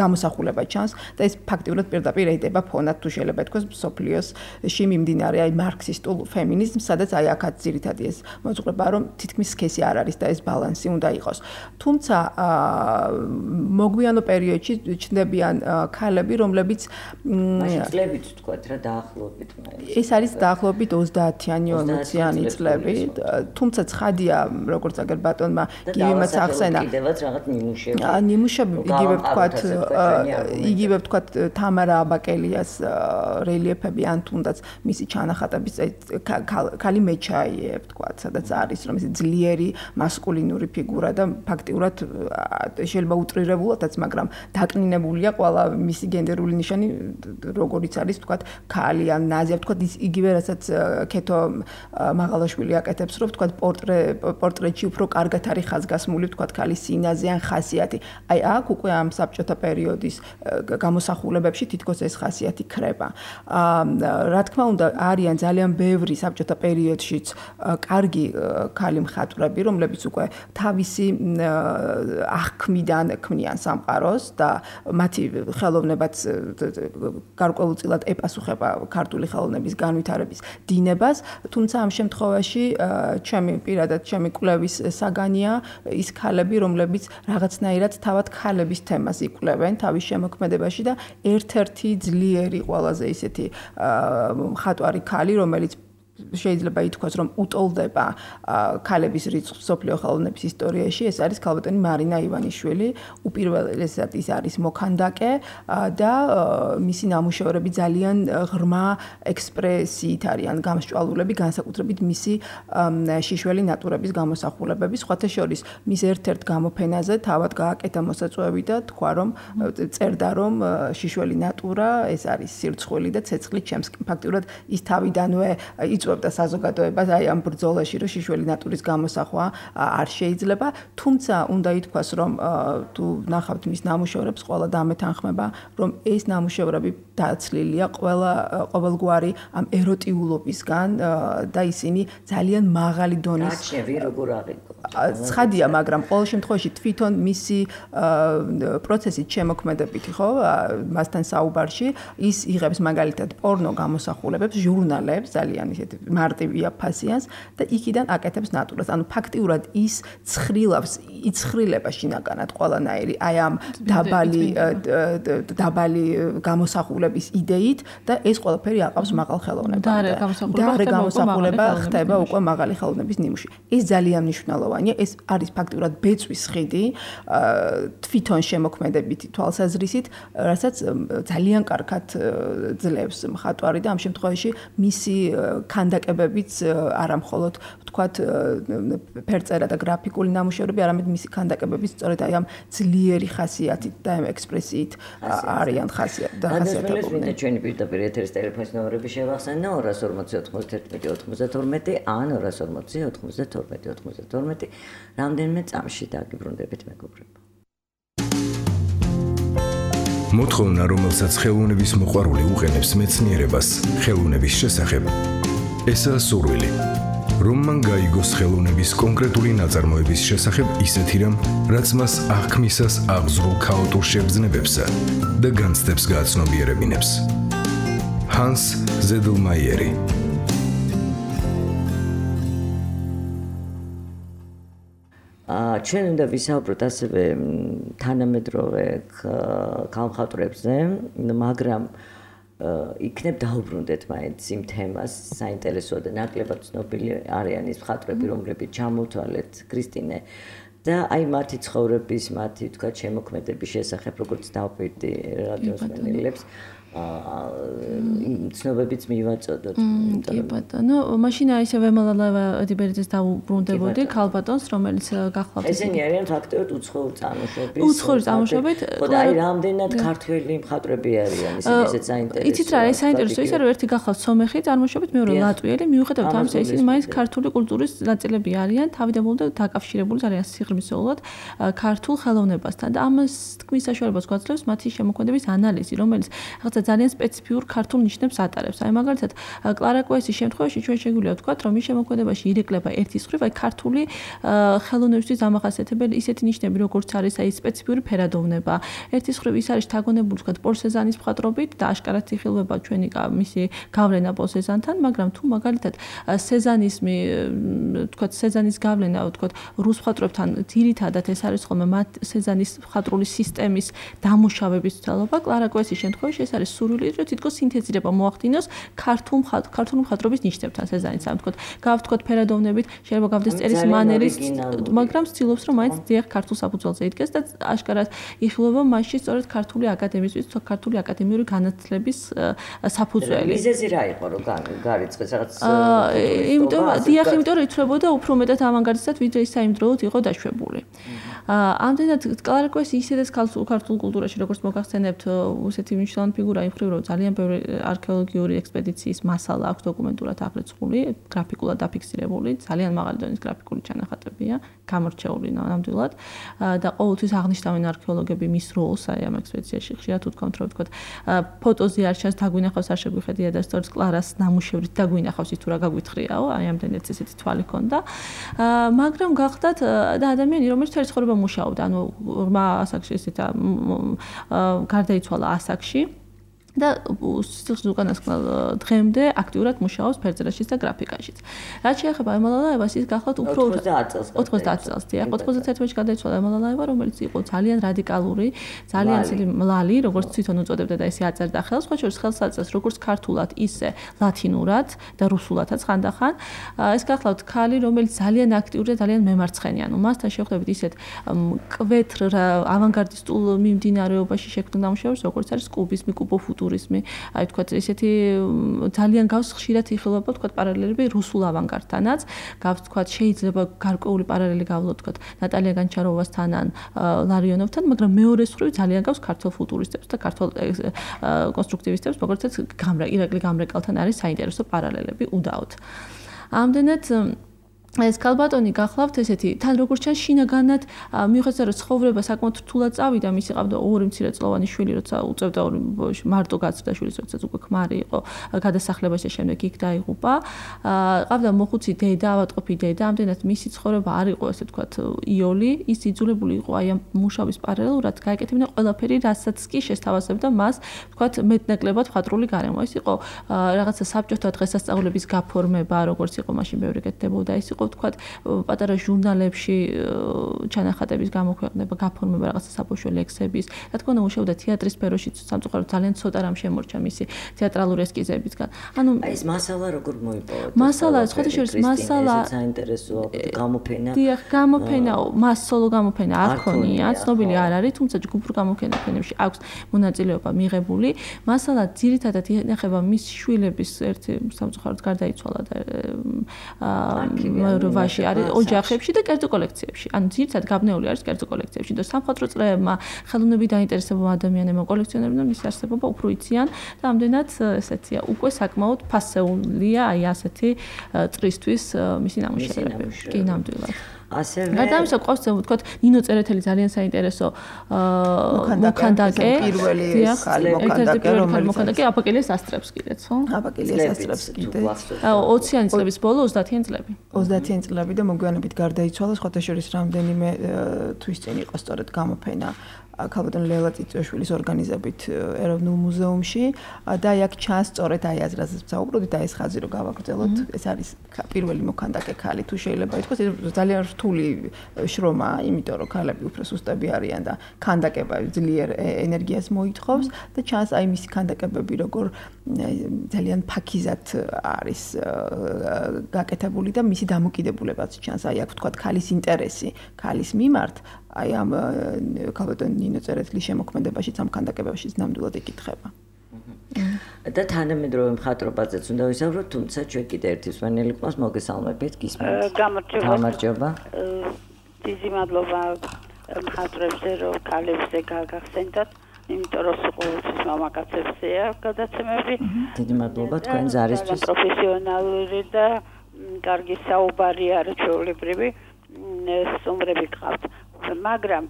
გამოსახულება ჩანს და ეს ფაქტიურად პირდაპირ ედება ფონად თუ შეიძლება ითქვას სოფლიოსში მიმდინარე აი მარქსისტულ ფემინიზმს, სადაც აი აქაც ძირითადი ეს მოძღვრება, რომ თითქმის სქესი არ არის და ეს ბალანსი უნდა იყოს. თუმცა მოგვიანო პერიოდში ჩნდებიან ქალები, რომლებიც მაშინ წლებით თქვათ რა დაახლოებით ეს არის დაახლოებით 30-იანი 40-იანი წლები, თუმცა ცხადია, როგორც აგერ ბატონმა გივიმაც ახსენა. კიდევაც რაღაც ნიმუშები. ნიმუშები იგივე ვთქვათ თამარა აბაკელიას რელიეფები ან თუნდაც მისი ჩანახატების ქალი მეჩაიე ვთქვათ, სადაც არის რომ ეს ძლიერი მასკულინური ფიგურა და ფაქტიურად შეიძლება უტრირებულადაც, მაგრამ დაკნინებულია ყველა მისი გენდერული ნიშანი, როგორიც არის ვთქვათ ქალი ან ნაზია, ვთქვათ იგივე რასაც ქეთო მაღალაშვილი აკეთებს, რომ ვთქვათ პორტრეტში უფრო კარგად არის ხაზგასმული ვთქვათ ქალის სინაზე ან ხასიათი. აი აქ უკვე ამ საბჭოთა პერიოდის გამოსახულებებში თითქოს ეს ხასიათი ქრება. რა თქმა უნდა, არიან ძალიან ბევრი საბჭოთა პერიოდშიც კარგი ქალი მხატვრები, რომლებიც უკვე თავისი აღქმიდან ქმნიან სამყაროს და მათი ხელოვნებაც გარკვეულწილად ეპასუხება ქართული ხელოვნების განვითარების დინებას, თუმცა ამ შემთხვევაში ჩემი კვლევის საგანია ის ქალები, რომლებიც რაღაცნაირად თავად ქალების თემას იკვლევენ თავის შემოქმედებაში და ერთ-ერთი ძლიერი ყველაზე ისეთი მხატვარი ქალი, რომელიც შეიძლება ითქვას, რომ უტოლდება ქალების რიცხვს მსოფლიო ხელოვნების ისტორიაში, ეს არის ქალბატონი მარინა ივანიშვილი, უპირველესად ის არის მოქანდაკე და მისი ნამუშევრები ძალიან ღრმა ექსპრესიით არიან გამსჭვალულები, განსაკუთრებით მისი შიშველი ნატურების გამოსახულებები, სხვათა შორის მის ერთ-ერთ გამოფენაზე თავად გააკეთა მოსაწვევი და თქვა, რომ წერდა, რომ შიშველი ნატურა ეს არის სირცხვილი და ცეცხლი ჩემს ფაქტიურად ის თავიდანვე იწვევდა საზოგადოებას აი ამ ბრძოლაში, რომ შიშველი ნატურის გამოსახვა არ შეიძლება, თუმცა უნდა ითქვას, რომ თუ ნახავთ მის ნამუშევრებს, ყველა დამეთანხმება, რომ ეს ნამუშევრები დაცლილია ყოველგვარი ამ ეროტიულობისგან და ისინი ძალიან მაღალი დონის როგორ აღიქვა. ცხადია, მაგრამ ყოველ შემთხვევაში თვითონ მისი პროცესით შემოქმედებითი, ხო, მასთან საუბარში ის იღებს მაგალითად პორნო გამოსახულებებს, ჟურნალებს, ძალიან ისეთი მარტივია ფასიანს და იქიდან აკეთებს ნატურას. ანუ ფაქტიურად ის იცხრილება შინაგანად ყველანაირი აი ამ დაბალი გამოსახულების იდეით და ეს ყველაფერი აყავს მაღალ ხელოვნებამდე. და გამოსახულება ხდება უკვე მაღალი ხელოვნების ნიმუში. ეს ძალიან მნიშვნელოვანია, ეს არის ფაქტიურად ბეწვის ხიდი თვითონ შემოქმედებითი თვალსაზრისით, რასაც ძალიან კარგად ძლევს მხატვარი და ამ შემთხვევაში მისი ქანდაკებებიც არა მხოლოდ ვთქვათ ფერწერა და გრაფიკული ნამუშევრები, არამედ მისი ქანდაკებებიც სწორედ აი ამ ძლიერი ხასიათით და ექსპრესიით არიან ხასიათდებულნი. ჩვენი პირდაპირ ეთერის ტელეფონის ნომრები შევახსენე 240 91 11 ან 240 92 92. რამდენიმე წამში დაგიბრუნდებით მეგობრებო. მოთხოვნა, რომელსაც ხელოვნების მოყვარული უყენებს მეცნიერებას ხელოვნების შესახებ. ესაა სურვილი, რომ მან გაიგოს ხელოვნების კონკრეტული ნაწარმოების შესახებ ისეთი რამ, რაც მას აღქმისას აღზრულ ქაოტურ შეგრძნებებსა და განცდებს გააცნობიერებინებს. ჰანს ზედლმაიერი. ჩვენ უნდა ვისაუბროთ ასევე თანამედროვე ქალმხატვრებზე, მაგრამ იქნებ დაუბრუნდეთ მაინც იმ თემას, საინტერესოა და ნაკლებად ცნობილი არიან ის მხატვრები, რომლებიც ჩამოვთვალეთ ქრისტინე და აი მათი ცხოვრების, მათი თქვა შემოქმედების შესახებ, როგორც დავპირდი რადიოს მენელებს, ცნობებიც მივაწოდოთ. კი ბატონო, მაშინ ისე ვემალალავა დიბერიძეს დაუბრუნდებოდი ქალბატონს, რომელიც გახლავთ. ესენი არიან ფაქტობრივად უცხოური წარმოშობის. უცხოური წარმოშობით. და აი რამდენად ქართველი მხატვრები არიან, ისინი ესეც საინტერესოა. იცით რა, ეს საინტერესოა ის არის, ერთი გახლავთ სომეხი წარმოშობით, მეორე ლატვიელი, მიუხედავად ამისა, ისინი მაინც ქართული კულტურის ნაწილები არიან, თავიდანვე და დაკავშირებული არიან სიღრმისეულად ქართულ ხელოვნებასთან და ამას თქმის საშუალებას გვაძლევს მათი შემოქმედების ანალიზი, რომელიც რაღაცა ძალიან სპეციფიურ ქართულ ნიშნებს ატარებს. აი მაგალითად, კლარა კვესის შემთხვევაში ჩვენ შეგვიძლია ვთქვათ, რომ მის შემოქმედებაში ირეკლება ერთის მხრივ აი ქართული ხელოვნებისთვის დამახასიათებელი ისეთი ნიშნები, როგორც არის აი სპეციფიური ფერადოვნება. ერთის მხრივ ის არის შთაგონებული ვთქვათ პოლ სეზანის მხატვრობით და აშკარად იხილება ჩვენი მისი გავლენა პოლ სეზანთან, მაგრამ თუ მაგალითად სეზანიზმი ვთქვათ სეზანის გავლენა ვთქვათ რუს მხატვრებთან ძირითადად ეს არის ხოლმე მათ სეზანის მხატვრული სისტემის დამუშავების ცდელობა, კლარა კვესის შემთხვევაში ეს არის სურვილი, რომ თითქოს სინთეზირება მოახდინოს ქართული მხატვრობის ნიშნებთან სეზანიც, ამ ვთქვათ ფერადოვნებით, შეიძლება გავდეს წერის მანერის, მაგრამ ცდილობს რომ მაინც დიახ ქართულ საფუძველზე იდგეს და აშკარად იხილება მასში სწორედ ქართული აკადემიზმის, ქართული აკადემიური განათლების საფუძველი. მიზეზი რა იყო რომ გარიცხეს რაღაც იმიტომ რომ ითვლებოდა უფრო მეტად ავანგარდისტად, ვიდრე ის საიმდროულად იყო დაშვებული. ამდენად კლარა კვესი ისედაც ქართულ კულტურაში როგორც მოგახსენებთ უსეთი მნიშვნელოვანი ფიგურა იმ მხრივ რომ ძალიან ბევრი არქეოლოგიური ექსპედიციის მასალა აქვს დოკუმენტურად აღრიცხული, გრაფიკულად დაფიქსირებული, ძალიან მაღალი დონის გრაფიკული ჩანახატებია, გამორჩეული ნამდვილად და ყოველთვის აღნიშნავენ არქეოლოგები მის როლს აი ამ ექსპედიციაში ხშირად უთქვამთ რომ ვთქვათ ფოტოზე არ ჩანს დაგვინახავს არ შეგვიხედია და სწორედ კლარას ნამუშევრით დაგვინახავს ის თუ რა გაგვითხრიაო, აი ამდენად ესეთი თვალი ქონდა. მაგრამ გახდათ და ადამიანი რომელიც თერი ცხოვრება მუშაობდა, ანუ ღრმა ასაკში ესეთ გარდაიცვალა ასაკში და სიცოცხლის უკანასკნელ დღემდე აქტიურად მუშაობს ფერწერაშიც და გრაფიკაშიც. რაც შეეხება ემალალაევას, ის გახლავთ უფრო 90 წელს, დიახ, 91 წელს გადაიცვალა ემალალაევა, რომელიც იყო ძალიან რადიკალური, ძალიან ცივი მლალი, როგორც თვითონ უწოდებდა და ესე აწერდა ხელს, ხო შორის ხელს აწევს როგორც ქართულად, ისე ლათინურად და რუსულადაც ხანდახან. ეს გახლავთ ქალი, რომელიც ძალიან აქტიური და ძალიან მემარცხენია. ანუ მასთან შევხვდებით ისეთ კვეთრ ავანგარდისტულ მიმდინარეობაში შექმნილ ნამუშევრებს, როგორც არის კუბიზმი, კუბოფუტურიზმი, აი თქვათ ესეთი ძალიან გავს ხშირად იხილება თქვათ პარალელები რუსულ ავანგარდთანაც, გავს თქვათ შეიძლება გარკვეული პარალელი გავლოთ თქვათ ნატალია განჩაროვასთან ან ლარიონოვთან, მაგრამ მეორე მხრივ ძალიან გავს ქართულ ფუტურისტებს და ქართულ კონსტრუქტივისტებს, როგორცაც ირაკლი გამრეკალთან არის საინტერესო პარალელები უდაოდ. ამდენად ეს ქალბატონი გახლავთ ესეთი თან როგორც ჩანს შინაგანად მიუხედავად რომ ცხოვრება საკმაოდ რთულად წავიდა, მისი ყავდა ორი მცირეწლოვანი შვილი, როცა უწევდა მარტო გაზრდა შვილის, როდესაც უკვე ქმარი იყო გადასახლებაში, შემდეგ იქ დაიღუპა. ყავდა მოხუცი დედა, ავადმყოფი დედა, ამდენად მისი ცხოვრება არ იყო ესე ვთქვათ იოლი, ის იძულებული იყო აი ამ მუშაობის პარალელურად გაეკეთებინა ყველაფერი, რასაც კი შესთავაზებდა მას ვთქვათ მეტნაკლებად მხატვრული გარემო. ეს იყო რაღაცა საბჭოთა დღესასწაულების გაფორმება, როგორც იყო მაშინ ბევრი კეთდებოდა, ეს იყო ვთქვათ პატარა ჟურნალებში ჩანახატების გამოქვეყნება, გაფორმება რაღაცა საბავშვო ლექსების. რა თქმა უნდა, მუშაობდა თეატრის სფეროში, სამწუხაროდ ძალიან ცოტა რამ შემორჩა მისი თეატრალური ესკიზებისგან. ანუ აი ეს მასალა როგორ მოიპოვეთ? მასალა, სხვათა შორის მასალა საინტერესოა, გამოფენა. დიახ, გამოფენა, მას სოლო გამოფენა არ ქონია, ცნობილი არ არის, თუმცა ჯგუფურ გამოფენებში აქვს მონაწილეობა მიღებული. მასალა ძირითადად ინახება მის შვილების ერთი სამწუხაროდ გარდაიცვალა და როვაში არის ოჯახებში და კერძო კოლექციებში. ანუ ძირითადად გაბნეული არის კერძო კოლექციებში. და სამხატვრო წრეებმა, ხელოვნებით დაინტერესებულმა ადამიანებმა, კოლექციონერებმა მისი არსებობა უფრო იციან და ამდენად ესეთია. უკვე საკმაოდ ფასეულია აი ასეთი წრისთვის მისი ნამუშევრები. კი, ნამდვილად. ასევე გადამისა ყავს ვთქვათ ნინო წერეთელი ძალიან საინტერესო მოქანდაკე პირველი ხალი მოქანდაკე აპაკელიას ასტრებს კიდეც ხო? აპაკელიას ასტრებს კიდე 20-იანი წლების ბოლო 30-იანი წლები. 30-იანი წლები და მოგვიანებით გარდაიცვალა, სხვათა შორის რამდენიმე თვის წინ იყო სწორედ გამოფენა ქალბატონ ლელა წიწვაშვილის ორგანიზებით ეროვნულ მუზეუმში და აქ ჩანს სწორედ აი აზრაზეც ვსაუბრობთ და ეს ხაზი რო გავაგრძელოთ, ეს არის პირველი მოქანდაკე ქალი, თუ შეიძლება ითქვას, ძალიან რთული შრომა, იმიტომ რომ ქალები უფრო სუსტები არიან და ქანდაკება ძლიერ ენერგიას მოითხოვს და ჩანს აი მისი ქანდაკებები როგორ ძალიან ფაქიზად არის გაკეთებული და მისი დამოკიდებულებაც ჩანს, აი აქ ვთქვათ ქალის ინტერესი, ქალის მიმართ აი ამ ქალბატონ ნინო წერეთლის შემოქმედებაშიც ამ ქანდაკებაშიც ნამდვილად იკითხება. და თანამედროვე მხატვრობაზეც უნდა ვისაუბროთ, თუმცა ჩვენ კიდე ერთი მსმენელი ყავს, მოგესალმებით, გისმენთ. გამარჯობა. დიდი მადლობა მხატვრებზე, რომ ქალებზე გაგახსენდათ, იმიტომ რომ ყოველთვის მამაკაცებზეა გადაცემები. დიდი მადლობა თქვენ ზარისთვის. პროფესიონალური და კარგი საუბარი არის ჩვეულებრივი სტუმრები გყავთ. მაგრამ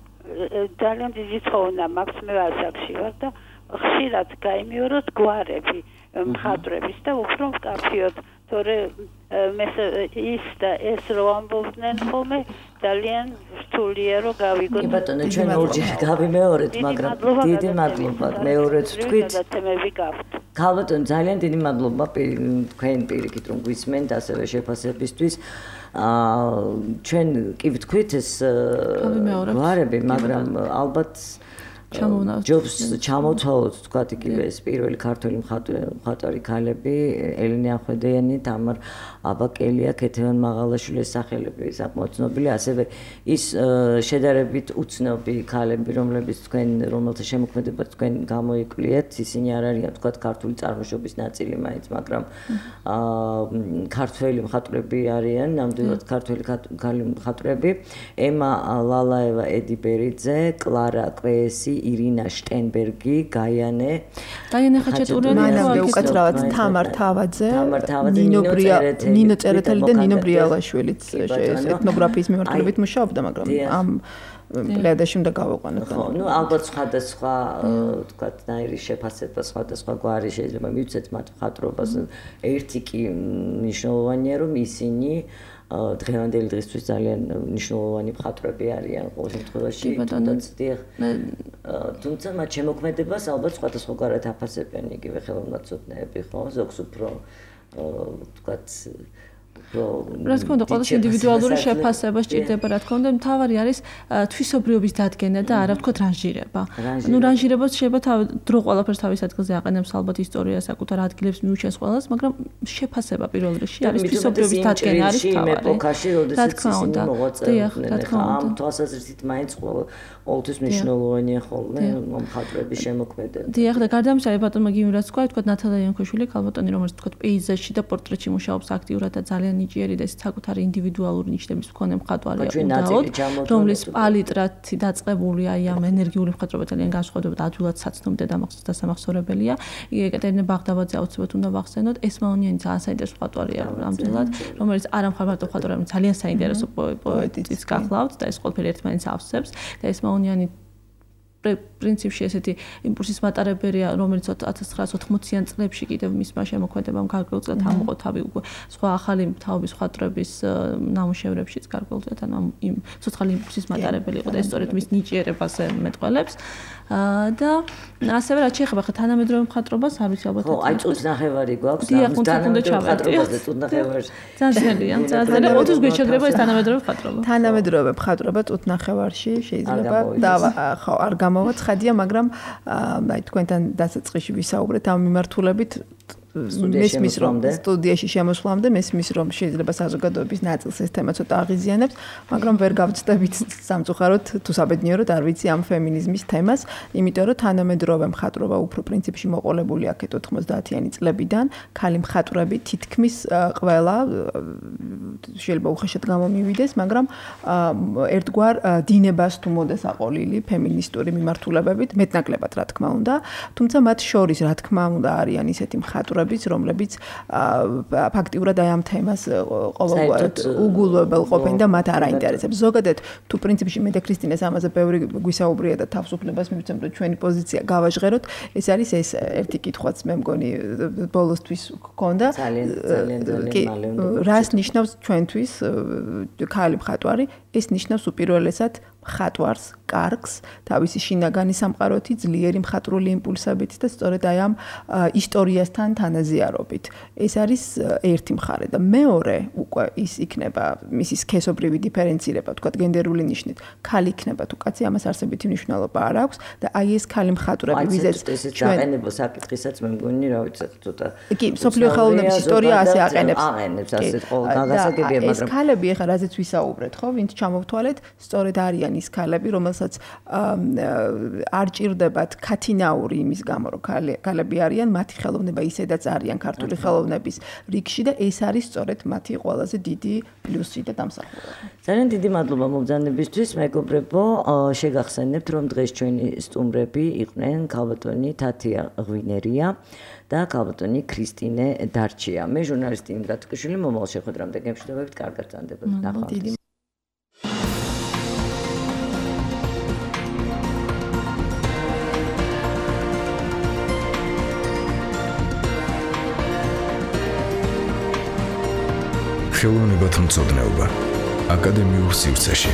ძალიან დიდი ხოვნა მაქვს მე ასაკში ვარ და ხშირად გაიმეოროთ გვარები მხატვრების და უფრო მკაფიოდ თორე ის და ეს რო ამბობდნენ ხოლმე ძალიან რთულია რომ გავიგოთ. კი ბატონო, ჩვენ ორჯერ გავიმეორეთ, მაგრამ დიდი მადლობა მეორეც ვთქვით. ქალბატონო, ძალიან დიდი მადლობა თქვენ პირიქით რომ გვისმენთ ასევე შეფასებისთვის. ჩვენ კი ვთქვით ეს გვარები, მაგრამ ალბათ ჯობს ჩამოთვალოთ თქვათ იგივე ეს პირველი ქართველი მხატვარი ქალები ელენე ახვედიანი, თამარ აბაკელია, ქეთევან მაღალაშვილის სახელები საკმაოდ ცნობილი, ასევე ის შედარებით უცნობი ქალები, რომელთა შემოქმედება თქვენ გამოიკვლიეთ, ისინი არ არიან თქვათ ქართული წარმოშობის ნაწილი მაინც, მაგრამ ქართველი მხატვრები არიან, ნამდვილად ქართველი მხატვრები, ემა ლალაევა, ედი ბერიძე, კლარა კვეესი, ირინა შტენბერგი, გაიანე, ხაჭატურიანი, მანამდე უკაცრავად თამარ თავაძე, ნინო წერეთელი და ნინო ბრიალაშვილიც ეთნოგრაფიის მიმართულებით მუშაობდა, მაგრამ ამ პლეადაში უნდა გავიყვანოთ. ხო, ნუ ალბათ სხვადასხვა თქვათ ნაირი შეფასება, სხვადასხვა გვარი შეიძლება მივცეთ მათ მხატვრობას. ერთი კი მნიშვნელოვანია, რომ ისინი დღევანდელი დღისთვის ძალიან მნიშვნელოვანი მხატვრები არიან ყოველ შემთხვევაში. თუმცა მათ შემოქმედებას ალბათ სხვადასხვაგვარად აფასებენ იგივე ხელოვნაცოდნეები, ხო? ზოგს უფრო თქვათ რა თქმა უნდა, ყოველს ინდივიდუალური შეფასება სჭირდება, რა თქმა უნდა, მთავარი არის თვისობრიობის დადგენა და არა ვთქვათ რანჟირება. ნუ რანჟირებას შეიძლება დრო ყველაფერს თავის ადგილზე აყენებს, ალბათ ისტორია საკუთარ ადგილებს მიუჩენს ყველას, მაგრამ შეფასება პირველ რიგში არის თვისობრიობის დადგენა არის თავი. ეპოქაში, როდესაც ისინი მოღვაწეობდნენ, ამ თვალსაზრისით მაინც ყოველთვის მნიშვნელოვანია ხოლმე მხატვრების შემოქმედება. დიახ, და გარდა ამისა, ბატონმა გიმირაც თქვა, თქვა ნათალა იანქოშვილი, ქალბატონი, რომელიც თქვა პეიზაჟში და პორტრეტში მუშაობს აქტიურად და ძალიან ნიჭიერი და საკუთარი ინდივიდუალური ნიშნების მქონე მხატვარია უნდაოდ, რომლის პალიტრათი დაწყებულია აი ამ ენერგიული მხატვრობა ძალიან განსხვავდება და ადვილად საცნობი და დასამახსოვრებელია. ეკატერინე ბაღდავაძე აუცილებლად უნდა ვახსენოთ, ესმაონიანი ძალიან საინტერესო მხატვარია ნამდვილად, რომელიც არა მხატვარი მხატვარი, ძალიან საინტერესო პოეტიც გახლავთ და ეს ყველაფერი ერთმანეთს ავსებს და ესმაონიანი პრინციპში ესეთი იმპულსის მატარებელია, რომელიც 1980-იან წლებში კიდევ მისმა შემოქმედებამ გარკვეულწილად ამოყო თავი უკვე სხვა ახალი თაობის მხატვრების ნამუშევრებშიც გარკვეულწილად, ანუ იმ ცოცხალი იმპულსის მატარებელი იყო და ეს სწორედ მის ნიჭიერებას მეტყველებს. და ასევე რაც შეეხება თანამედროვე მხატვრობას, არ ვიცი ალბათ. ხო, აი წუთნახევარი გვაქვს, თანამედროვე მხატვრობაზე წუთნახევარს. ძალიან, ძალიან 20 გვერდში შეგრება ეს თანამედროვე მხატვრობა. თანამედროვე მხატვრობა წუთნახევარში შეიძლება და ხო, არ გამოვაცხადია, მაგრამ აი თქვენთან დასაწყისში ვისაუბრეთ ამ მიმართულებით მესმის რომ სტუდიაში შემოსვლამდე მესმის რომ შეიძლება საზოგადოების ნაწილს ეს თემა ცოტა აღიზიანებს, მაგრამ ვერ გავწდებით სამწუხაროდ თუ საბედნიეროდ არ ვიცი ამ ფემინიზმის თემას, იმიტომ რომ თანამედროვე მხატვრობა უფრო პრინციპში მოყოლებული აქეთ 90-იანი წლებიდან, ქალი მხატვრები თითქმის ყველა შეიძლება უხეშად გამომივიდეს, მაგრამ ერთგვარ დინებას თუ მოდეს აყოლილი ფემინისტური მიმართულებებით, მეტნაკლებად რა თქმა უნდა, თუმცა მათ შორის რა თქმა უნდა არიან ისეთი მხატვრები რომლებიც ფაქტიურად აი ამ თემას ყოველგვარ უგულვებელ ყოფენ და მათ არ აინტერესებს. ზოგადად თუ პრინციპში მე და ქრისტინეს ამაზე ბევრი გვისაუბრია და თავისუფლებას მივცემ რომ ჩვენი პოზიცია გავაჟღეროთ, ეს არის ეს ერთი კითხვაც მე მგონი ბოლოსთვის გქონდა. რას ნიშნავს ჩვენთვის ქალი მხატვარი? ეს ნიშნავს უპირველესად მხატვარს, კარგს, თავისი შინაგანი სამყაროთი, ძლიერი მხატვრული იმპულსებით და სწორედ აი ამ ისტორიასთან თანაზიარობით. ეს არის ერთი მხარე და მეორე უკვე ის იქნება მისი სქესობრივი დიფერენცირება, თქვათ გენდერული ნიშნით. ქალი იქნება თუ კაცი, ამას არსებითი მნიშვნელობა არ აქვს და აი ეს ქალი მხატვრები, ვიზეც ჩვენ აყენებო საკითხისაც მე მგონი, რა ვიცი, ცოტა. კი, სოფლიო ხელოვნების ისტორია ასე აყენებს. აყენებს ასე გასაგებია, მაგრამ ეს ქალები ახლა რაზეც ვისაუბრეთ, ხო, ვინც ჩამოვთვალეთ, სწორედ არიან ის ქალები, რომელსაც არ ჭირდებათ ქათინაური იმის გამო, რომ ქალები არიან, მათი ხელოვნება ისედაც არიან ქართული ხელოვნების რიგში და ეს არის სწორედ მათი ყველაზე დიდი პლუსი და დამსახურება. ძალიან დიდი მადლობა მობრძანებისთვის, მეგობრებო, შეგახსენებთ, რომ დღეს ჩვენი სტუმრები იყვნენ ქალბატონი თათია ღვინერია და ქალბატონი ქრისტინე დარჩია. მე ჟურნალისტი იმდა თუკიშვილი, მომავალ შეხვედრამდე გემშვიდობებით, კარგად გრძანდებოდეთ. ნახვამდის. ხელოვნებათმცოდნეობა აკადემიურ სივრცეში.